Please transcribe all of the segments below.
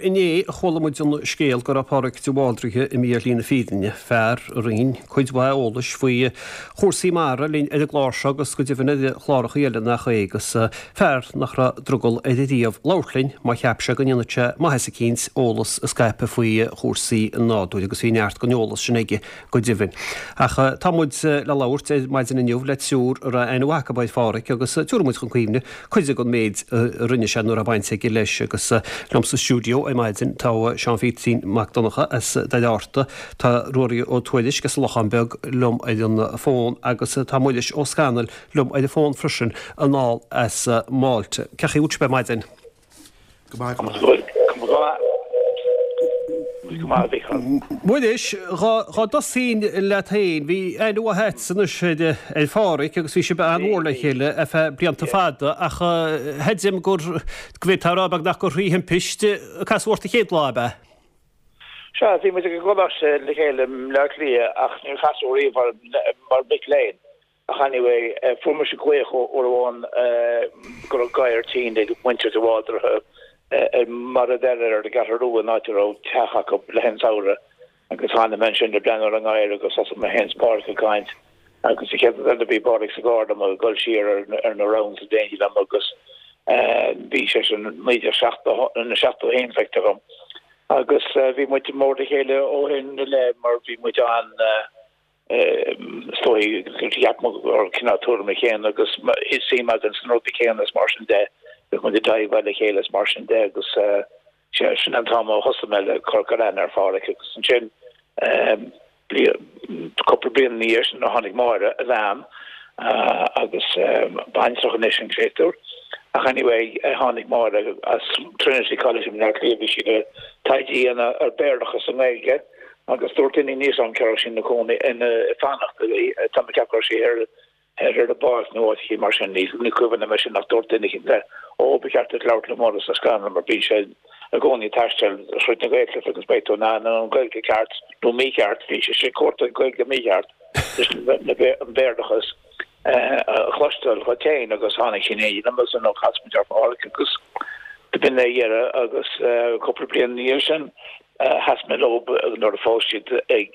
Inné a chuala muid an scéal go raibh Pádraig de Bhaldraithe imithe ar shlí na fírinne, fear a roinn cuid mhaith eolais faoi chúrsaí mara linn ar an gclár seo agus go deimhin ar chláracha eile nach é agus fear nach raibh drogall air riamh labhairt linn má cheap sé go ndéanfadh sé maitheas eicínt eolas a scaipeadh faoi chúrsaí an nádúir agus bhí neart den eolas sin aige go deimhin. Ach tá muid le labhairt ar maidin inniu le triúr a raibh aithne mhaith acu ar Phádhraic agus tabharfaidh muid chun cuimhne cuid den méid a rinne sé nó a raibh baint aige leis agus liom sa stiúideo ar maidin tá Seán Pheaitín Mac Donncha as Doire Fhatharta, tá Ruairí Ó Tuairisg as an Lochán Beag liom ar an bhfón agus tá Muiris Ó Scanaill liom ar an bhfón freisin anall as Málta. Cén chaoi a bhfuil sibh ar maidin? Go maith, go maith. Go maith, go maith, a Mhícheáil. Muiris, dhá dtosóinn leat féin, bhí aithne mhaith agatsa anois ar Phádhraic agus bhí sibh an-mhór le chéile ar feadh blianta fada ach creidim gur, go bhféadfá a rá beagnach gur thrí thimpiste a casadh ort an chéad lá, ab ea? Sea, bhí muid ag an gcoláiste le chéile i mBleá Cliath ach níor casadh riamh mar mhic léinn. Ach anyway, fuair mise glaoch uair amháin go raibh gadhar tinn ag muintir de Bhaldraithe ar Mhara Bheatha ar an gCeathrú Rua, an áit a raibh teach acu le haghaidh an tsamhraidh. Agus tháinig mé ansin le breathnú ar an ngadhar agus thosaigh mé féin is Pádraic ag caint. Agus an chéad rud eile bhí Pádraic sa gcarr liom ag dul siar ar na rounds in éindí liom agus bhí sé sin 1971 feictear dhom. Agus bhí muid mór le chéile ó shin i leith mar bhí muid an Is dóigh gur cheap muid go raibh cineál tuairime chéanna agus suim againn sna rudaí céanna is mar sin de, bhíodh muid ag diveáil le chéile is mar sin de agus sin an t-am a thosaigh mé le cur aithne ar Phádhraic agus ansin cúpla bliain ina dhiaidh sin tháinig Máire, a bhean, agus baintreach anois an créatúr. Ach anyway tháinig Máire as Trinity College i mBleá Cliath, bhí sí le taighde a dhéanamh ar Béarlachas i nGaeilge. Agus dúirt duine níl a fhios agam cá raibh sí ina cónaí, ina fanacht, tá mé ag ceapadh go raibh sí thoir ar an bPáirc nó áit eicínt mar sin, ní cuimhin liom é sin ach dúirt duine eicínt léi, ó ba cheart duit labhairt le Muiris Ó Scanaill mar bíonn sé i gcónaí ag taisteal thríd na Gaeltachta agus beidh tú in ann an Ghaeilge ceart nó mícheart, bhí sé ag cuartú Gaeilge mícheart leis an Bhéarlachas a chloisteáil dhuit féin agus tháinig sí in éindí liom agus nó chas muid ar Phádhraic agus b'in é a dheireadh agus cúpla bliain ina dhiaidh sin Sheas mé leo nuair a phós siad ag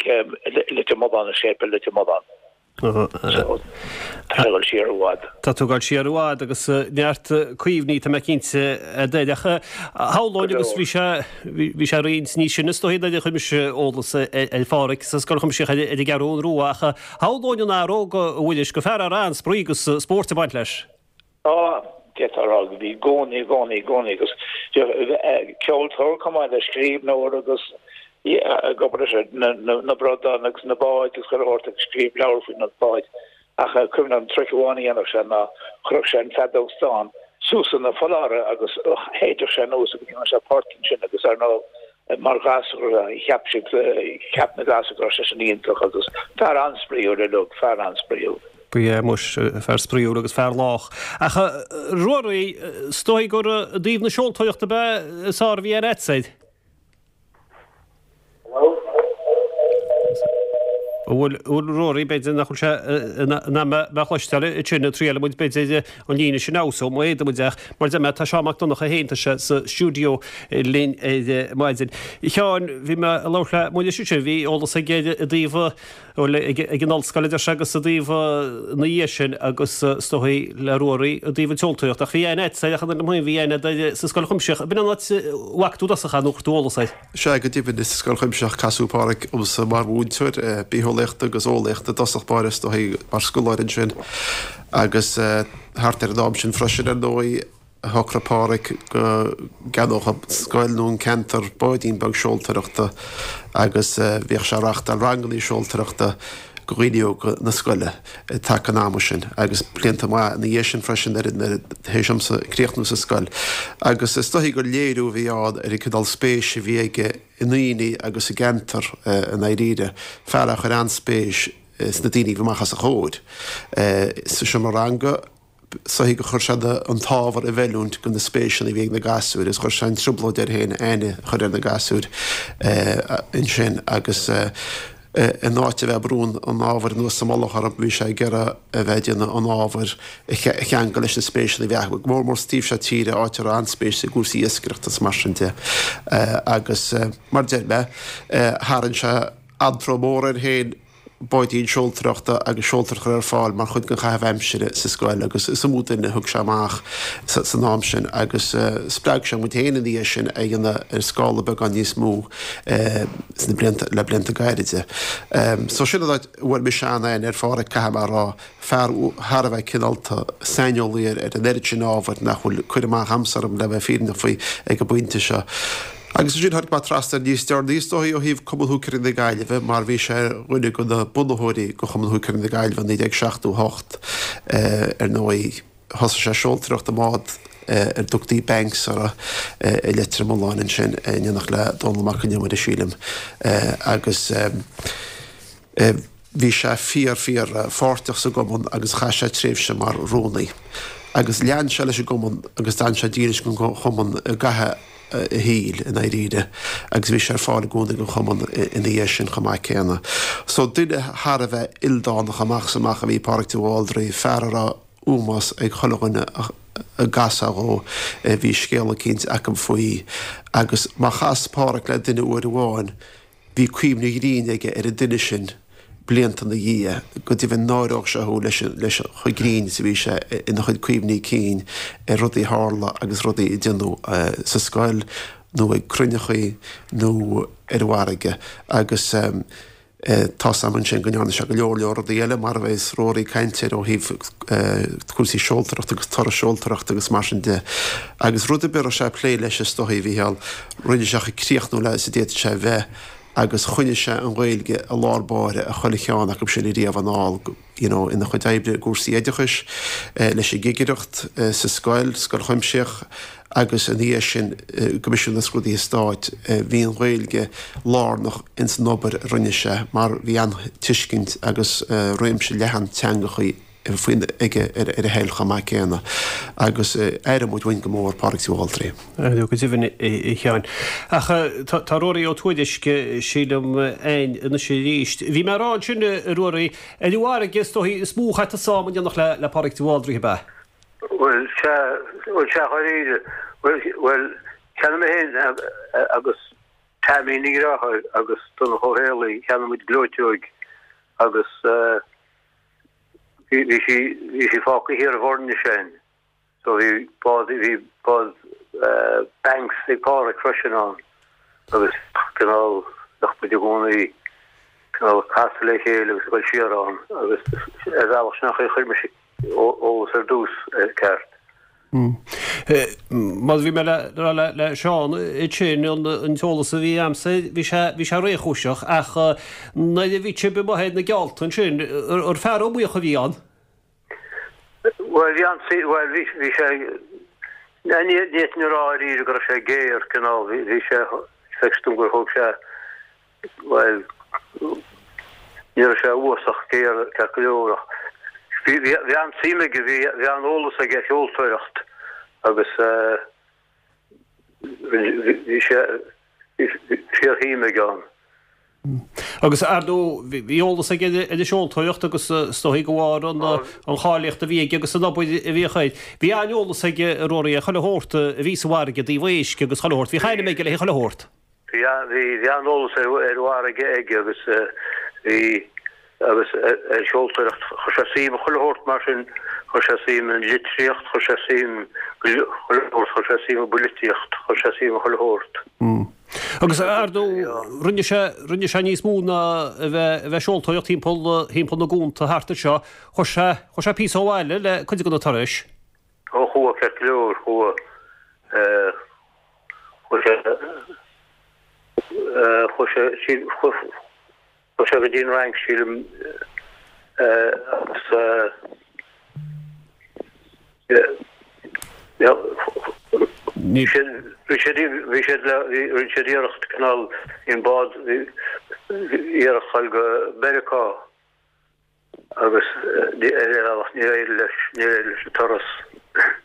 Leitir Mealláin, i séipéal Leitir Mealláin. So, tá mé ag dul siar i bhfad. Tá tú ag dul siar i bhfad agus neart cuimhní, tá mé cinnte, agat. Ach shamhlóinn agus bhí sé, bhí sé roinnt níos sine is dóigh nuair a chuir mise eolas ar Phádhraic sa Scoil Chuimsitheach ar an gCeathrú Rua ach shamhlóinn an fear óg, a Mhuiris, gur fear a raibh an-spraoi agus spóirt ag baint leis. Á, d'fhéadfá a rá go bhí i gcónaí, i gcónaí, i gcónaí agus ceoltóir chomh maith le scríbhneoir agus ag obair leis na bradáin agus na báid agus chuile shórt agus scríobh leabhar faoi na báid. Ach cuimhin liom trick amháin a dhéanadh sé ná chuirfeadh sé an feadóg stáin suas ina pholláire agus shéideadh sé anuas agus dhéanadh sé port ansin agus ar ndóigh Mar ghasúr, cheap siad, cheap na gasúir go raibh sé sin iontach agus fear an-spraíúil uilig, fear an-spraíúil. Ba ea, muis, fear spraíúil agus fear lách. Ach Ruairí, is dóigh gur i dtaobh na seoltóireachta ab ea is fearr a bhí aithne agat air? An bhfuil Ruairí, b'fhéidir nach bhfuil sé in ann mé a chloisteáil ansin, triailfidh muid b'fhéidir an líne sin a fheabhsú, má fhéadann muid ach mar a deir mé tá Seán Mac Donncha féin, tá sé sa stiúideo linn ar maidin. A Sheáin, bhí mé ag labhairt le Muiris ansin, bhí eolas aige i dtaobh, bhuel, ag an ollscoil a deir sé agus i dtaobh na dhiaidh sin agus is dóigh le Ruairí i dtaobh an tseoltóireacht ach bhí aithne agat air ach an bhí aithne agat air sa Scoil Chuimsitheach, ab in an áit a bhfaca tú i dtosach é nó chuir tú eolas air? Sea, go deimhin, is sa Scoil Chuimsitheach a casadh Pádhraic dhomsa mar mhúinteoir bitheolaíochta agus eolaíochta i dtosach báire, is dóigh, mar scoláire ansin. Agus thart ar an am sin freisin, ar ndóigh, a shocraigh Pádhraic go gceannódh an scoil nó an ceantar báidín beag seoltóireachta agus bhíodh sé ag reáchtáil rangannaí seoltóireachta do dhaoine óga na scoile i dtaca an ama sin agus blianta maith ina dhiaidh sin freisin nuair tar éis domsa críochnú sa scoil. Agus is dóichí gur léiriú a bhí ann ar an cineál spéis a bhí aige i ndaoine agus i gceantar i ndáiríre. Fear a chuir an-spéis sna daoine a bhí amach os a chomhair sa seomra ranga. Is dóichí gur chuir sé an t-ábhar i bhfeiliúint do na spéiseanna a bhí ag na gasúir agus chuir sé an trioblóid air féin aithne a chur ar na gasúir ansin agus. In áit a bheith ag brú an ábhair anuas sa mullach orthu, bhí sé ag iarraidh a bheith ag déanamh an ábhair a cheangal leis na spéiseanna a bhí acu, go mór mór sa taobh seo tíre, áit a raibh an-spéis i gcúrsaí iascaireachta is mar sin de. Agus mar a deir mé, tharraing sé antró mór air féin báidín seoltóireachta agus seoltóireacht a chur ar fáil mar chuid den chaitheamh aimsire sa scoil agus is iomaí duine a thug sé amach san am sin agus spreag sé muid féin ina dhiaidh sin a dhéanamh ar scála beagán níos mó sna blianta, le blianta gairide. So sin an áit a bhfuair mise an-aithne ar Pháraic, caithfidh mé a rá, fear thar a bheith cineálta, saineolaí ar an oiread sin ábhair nach bhfuil cur amach a'msa orm le bheith fírinneach faoi ag an bpointe seo. Agus ansin tháinig mé trasna air níos deireanaí is dóigh ó thaobh Cumann Húicéirí na Gaillimhe mar bhí sé ar dhuine de na bunaitheoirí de Chumann Húicéirí na Gaillimhe i 1978 ar ndóigh. Thosaigh sé seoltóireacht i mbád ar dtugtaí Banks orthu i Leitir Mealláin ansin in éineacht le Dónall Mac Con Iomaire, sílim, agus bhí sé fíor, fíor pháirteach sa gcumann agus chaith sé tréimhse mar rúnaí. Agus lean sé leis an gcumann agus d'fhan sé dílis don chumann i gcaitheamh a shaoil, i ndáiríre, agus bhí sé ar fáil i gcónaí don chumann ina dhiaidh sin chomh maith céanna. So duine thar a bheith ildánach amach is amach a bhí i Páraic de Bhaldraithe, fear a raibh ómós ag chuile dhuine a gcasfá dhó, bhí scéal eicínt acu faoi agus má chas Páraic le duine uair amháin, bhí cuimhne ghrinn aige ar an duine sin blianta ina dhiaidh, go deimhin náireodh sé thú leis leis chomh grinn is a bhí sé ina chuid cuimhní cinn ar rudaí a tharla agus rudaí a déanadh sa scoil nó ag cruinneachaí nó ar an bhfarraige agus Tá's a'm ansin go ndearna sé go leor leor rudaí eile mar a bheas Ruairí ag caint air ó thaobh cúrsaí seoltóireachta agus turais seoltóireachta agus mar sin de. Agus rud ar bith a raibh sé ag plé leis is dóigh, a Mhícheáil, rinne sé chomh críochnúil is a d'fhéadfadh sé a bheith agus choinnigh sé an Ghaeilge i lár báire i chuile cheann acu sin ariamh anall. you know ina chuid oibre i gcúrsaí oideachais, leis an gcigireacht sa scoil, Scoil Chuimsitheach agus ina dhiaidh sin i gCoimisiún na Scrúduithe Stáit. Bhí an Ghaeilge lárnach ins an obair a rinne sé mar bhí an-tuiscint agus réimse leathan teangachaí faoin aige ar a thoil chomh maith céanna agus aireoidh muid uainn go mór Pádraig de Bhaldraithe. Go deimhin, a Sheáin. Ach tá Ruairí Ó Tuairisg, sílim, againn anois arís. Bhí mé ag rá ansin, a Ruairí, ar an bhfarraige is dóichí is mó a chaith tusa am in éineacht le Pádraig de Bhaldraithe, ab ea? Bhuel, sea, bhuel, sea, dháiríre. Bhuel, bhuel, cheannaigh mé féin agus Taimín a dheartháir agus Donncha Ó Héalaí, cheannaigh muid gleoiteog agus bhí, bhí sí, bhí sí fágtha thiar i bhFoirnis againn. So bhí bád, bhí bád Banks ag Páraic freisin ann agus cineál, bheadh muid i gcónaí cineál ag casadh le chéile agus ag dul siar ann agus ar bhealach sin an chaoi a chuir mise eolas ar dtús air ceart. Mar a bhí mé le rá le Seán ansin, an t-eolas a bhí a'msa air, bhí sé, bhí sé réchúiseach ach nuair a bhí sibh amuigh ar na geallta ansin, ar fear iomaíoch a bhí ann? Bhuel, bhí an, bhuel, bhí, bhí sé, ní fhéadfainn a rá dáiríre go raibh sé géar, cineál, bhí, bhí sé, feictear dom gur thóg sé, bhuel, ní raibh sé uafásach géar ceart go leor ach bhí, bhí, bhí an-suim aige, bhí, bhí an-eolas aige ar sheoltóireacht agus eh, bhí sé, bhí fíorshuim aige ann. Agus ar ndóigh, bhí eolas aige ar an seoltóireacht agus is dóigh de bharr an cháilíocht a bhí aige agus an obair a bhíodh air. Bhí an-eolas aige, a Ruairí, ar chuile shórt a bhí sa bhfarraige i dtaobh éisc agus chuile shórt. Bhí ainm aige le chuile shórt. Bhí, bhí an-eolas ar an bhfarraige aige agus bhí, agus ar sheoltóireacht. Chuir sé suim i chuile shórt mar sin, chuir sé suim i litríocht, chuir sé suim chuile shórt, chuir sé suim i bpoilitíocht, chuir sé suim i chuile shórt. Agus ar ndóigh, rinne sé, rinne sé níos mó ná a bheith, a bheith ag seoltóireacht thimpeall, thimpeall na gcuanta thart anseo. Chuaigh sé, chuaigh sé píosa ó bhaile le cuid de na turais. Ó chuaigh, ceart go leor, chuaigh, eh, chuaigh sé, eh, chuaigh sé, sí, chuaigh, Chuaigh sé go dtí an Fhrainc, sílim, agus bhí siad, bhí siad, bhí siad le, rinne siad iarracht cineál, bhí an bád, iarracht dul go Meiriceá agus ar bhealach níor éirigh leis, níor éirigh leis an turas.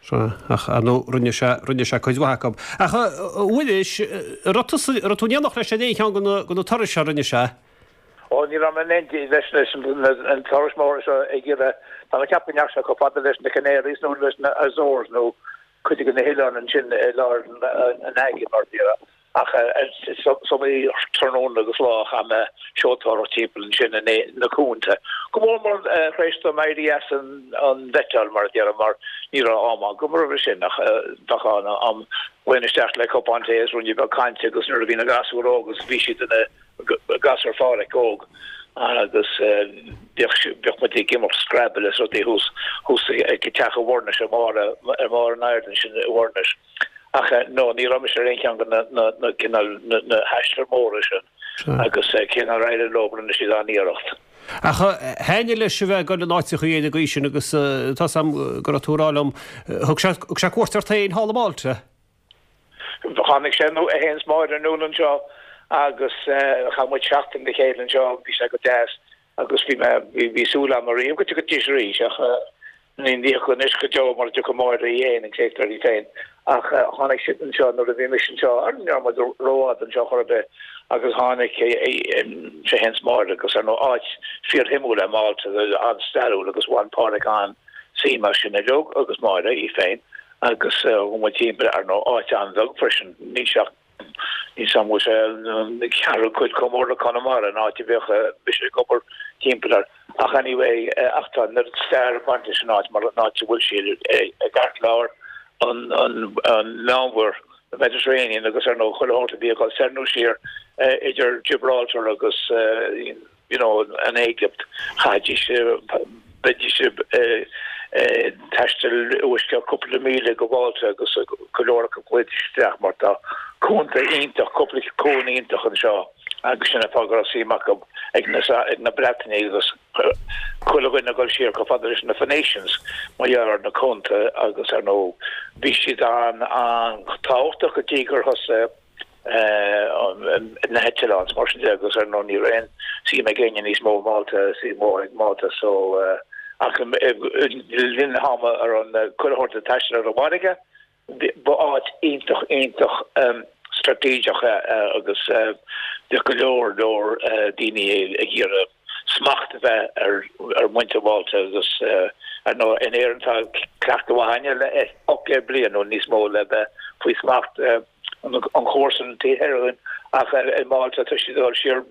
Sea, ach ar ndóigh rinne sé, rinne sé cuid mhaith acu. Ach a Mhuiris, an raibh tusa, an raibh tú in éineacht leis ar aon cheann de na, de na turais a rinne sé? Ó, ní raibh mé in éindí leis na turais mhóra seo ag iarraidh, tá mé ag ceapadh go ndeachaigh sé chomh fada leis na Canaries nó leis na Azores nó cuid de na hoileáin ansin i lár an aigéin mar a déarfá. Ach is iomaí tráthnóna agus lá a chaith mé ag seoltóireacht timpeall ansin na cuanta. Go mór mór tar éis dom éirí as an bhfeiteáil mar a déarfá mar ní raibh am agam roimhe sin ach bheadh an-am ghlaoinn isteach le cupán tae is ruainne beag cainte agus nuair a bhí na gasúir óg agus bhí siad ina gasúir Pháraic óg agus bheadh muid ag imirt Scrabble is rudaí thuas thuas ag teach i bhFoirnis ar bharr ar bharr an aird ansin i bhFoirnis. Ach no, ní raibh mise ar aon cheann de na na cineál na haistir mhóra sin agus cé nár éirigh leo rinne siad an-iarracht. Ach thaitnigh leis a bheith ag dul in áiteachaí ar an gcaoi sin agus tá 's a'm go raibh tú ag rá liom, thug sé thug sé cuairt ort féin thall i Málta? Tháinig sé é féin is Máire anonn anseo agus chaith muid seachtain le chéile anseo, bhí sé go deas agus bhí mé bhí súil agam ariamh go dtiocfaidís arís ach Ní thiocfaidh anois go deo mura dtiocfaidh Máire í fhéin, an créatúr í féin. Ach tháinig siad anseo nuair a bhí mise anseo, ar ní raibh muid rófhada anseo chor ar bith, agus tháinig sé fhéin is Máire agus ar ndóigh áit fíorshuimiúil é Málta, an-stairiúil agus bhain Páraic an-suim as sin uilig agus Máire í féin agus chuaigh muid timpeall ar ndóigh áit an-bheag freisin, níl sé ach Níl 's a'm an bhfuil sé an ceathrú cuid chomh mór le Conamara, an áit a bheadh mise ag obair timpeall air. Ach anyway, ach tá an oiread stair ag baint leis an áit mar an áit a bhfuil sí i gceartlár an Mheánmhuir, the Mediterranean, agus ar ndóigh chuile shórt a bhí ag dul soir nó siar idir Gibraltar agus you know, an Éigipt, chaithfidís, bheidís ag taisteal uisce cúpla míle go Málta agus go leor acu ghlaoidís isteach mar tá cuanta iontach, cúpla cuan iontach anseo agus sin an fáth go raibh suim acu ag na, ag na Breatanaigh agus chuile dhuine ag dul siar chomh fada leis na Phoenicians mar gheall ar na cuanta agus ar ndóigh bhí siad an-tábhachtach go dtí gur thosaigh na heitleáin is mar sin de agus ar ndóigh ní raibh aon suim ag éinne níos mó i Málta, suim mhór ag Málta so ach le linn an ama a raibh chuile shórt ag taisteal ar an bhfarraige ba áit iontach iontach straitéiseach é agus bhíodh go leor leor daoine ag iarraidh smacht a bheith ar mhuintir Mhálta agus ar ndóigh in Éirinn tá cleachtadh mhaith againne le 800 bliain nó níos mó le bheith faoi smacht an chomharsan an taobh thoir againn ach i Málta tá siad ag dul siar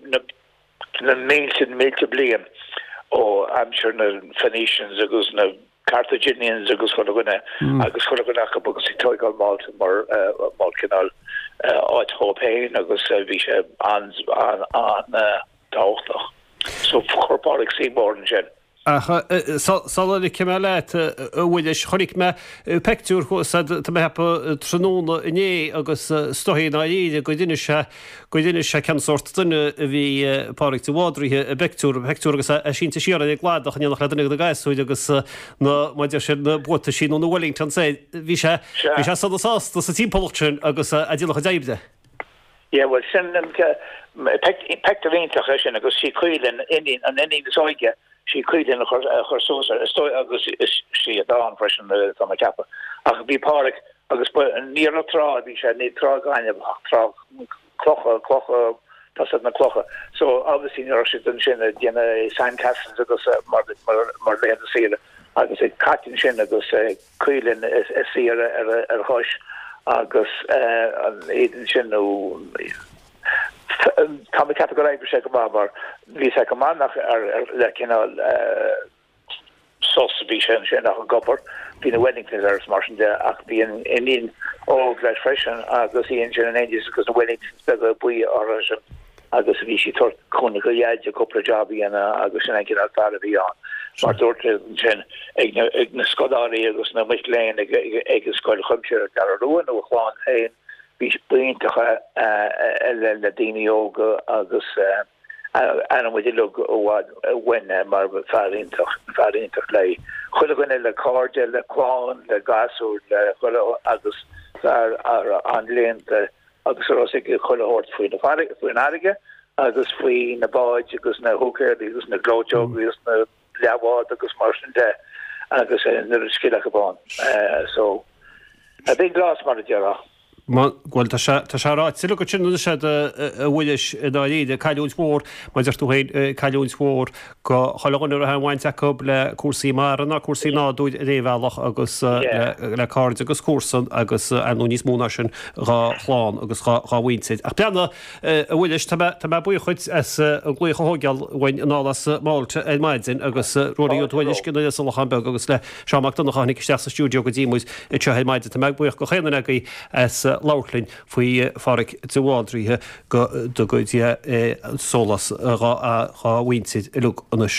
na mílte na mílte bliain ó aimsir na Phoenicians agus na Carthaginians agus chuile dhuine agus chuile dhuine acu agus ag tóigeáil Málta mar mar cineál áit dhóibh féin agus bhí sé an an tábhachtach. So chuir Pádraig suim mhór ansin. Ach sula ligfidh mé leat, a Mhuiris, chonaic mé peictiúr thuas a'd, tá mé a cheapadh, tráthnóna inné agus is dóigh i ndáiríre gur inis sé, gur inis sé cén sórt duine a bhí Pádraig de Bhaldraithe i bpeictiúr, peictiúr agus é sínte siar ar an gcladach in éineacht le duine de na gasúir agus na, mar a deir siad, na buataisí nó na Wellingtons air. Bhí sé, bhí sé sona sásta sa timpeallacht sin agus é ag déanamh a chuid oibre. Yeah, bhuel, sin peictiúr iontach é sin agus sí Caoilinn, iníon, an iníon is óige, sí Caoilinn a chuir, a chuir suas air, is dóigh, agus is sí a dán freisin, tá mé ag ceapadh. Ach bhí Pádraig, agus ba, ní ar an trá a bhí sé, ní trá gainimh ach trá clocha, clocha, tá 's a'd na clocha. So, obviously ní raibh siad ansin ag déanamh sandcastles agus mar, mar, mar laethanta saoire agus ag caint ansin agus Caoilinn ina suí ar a chois agus iad ansin nó tá mé ag ceapadh gur oibrigh sé go maith mar bhí sé go maith nach ar le cineál sos a bhí sé ansin ach ag obair. Bhí na Wellingtons air is mar sin de ach bhí an iníon óg leis freisin agus í ansin in éindí agus na Wellingtons beaga buí uirthi. agus bhí sí ag tabhairt cúnamh do Dhaid cúpla job a dhéanamh agus sin an cineál fear a bhí ann. Mar dúirt sé ansin ag na, ag na scoláirí agus na mic léinn ag, ag, ag an scoil chuimsitheach ar an gCeathrú Rua nó a chlann féin, bhí ba iontach le, le daoine óga agus aithníonn muid uilig i bhfad uainn é mar fear iontach, fear iontach le chuile dhuine, le cairde, le clann, le gasúir, le chuile agus fear an-léannta. agus a raibh 'fhios aige chuile shórt faoin bhfarraige agus faoi na báid agus na húicéirí agus na gleoiteogaí agus na leathbháid agus mar sin de agus an oiread scil acu ann. So, a big loss mar a déarfá. Bhuel, tá sé, tá sé ráite agat sin anois a Mhuiris, i ndáiríre, cailliúint mhór, mar a deir tú féin, cailliúint mhór go chuile dhuine a raibh aon bhaint acu le cúrsaí mara ná cúrsaí nádúir ar aon bhealach agus le cairde agus comharsan agus ar ndóigh níos mó ná sin dhá chlann agus dhá mhuintir. Ach breathnaigh, a Mhuiris, tá mé, tá mé buíoch dhuit as an glaoch a thógáil uainn anall as Malta ar maidin agus Ruairí Ó Tuairisg in Iorras an Locháin Beag agus le Seán Mac Donncha a tháinig isteach sa stiúideo go dtí muid anseo ar maidin. Tá mé buíoch go chaon duine agaibh as labhairt linn faoi Pháraic de Bhaldraithe go dtuga Dia sólás dhá mhuintir uilig anois.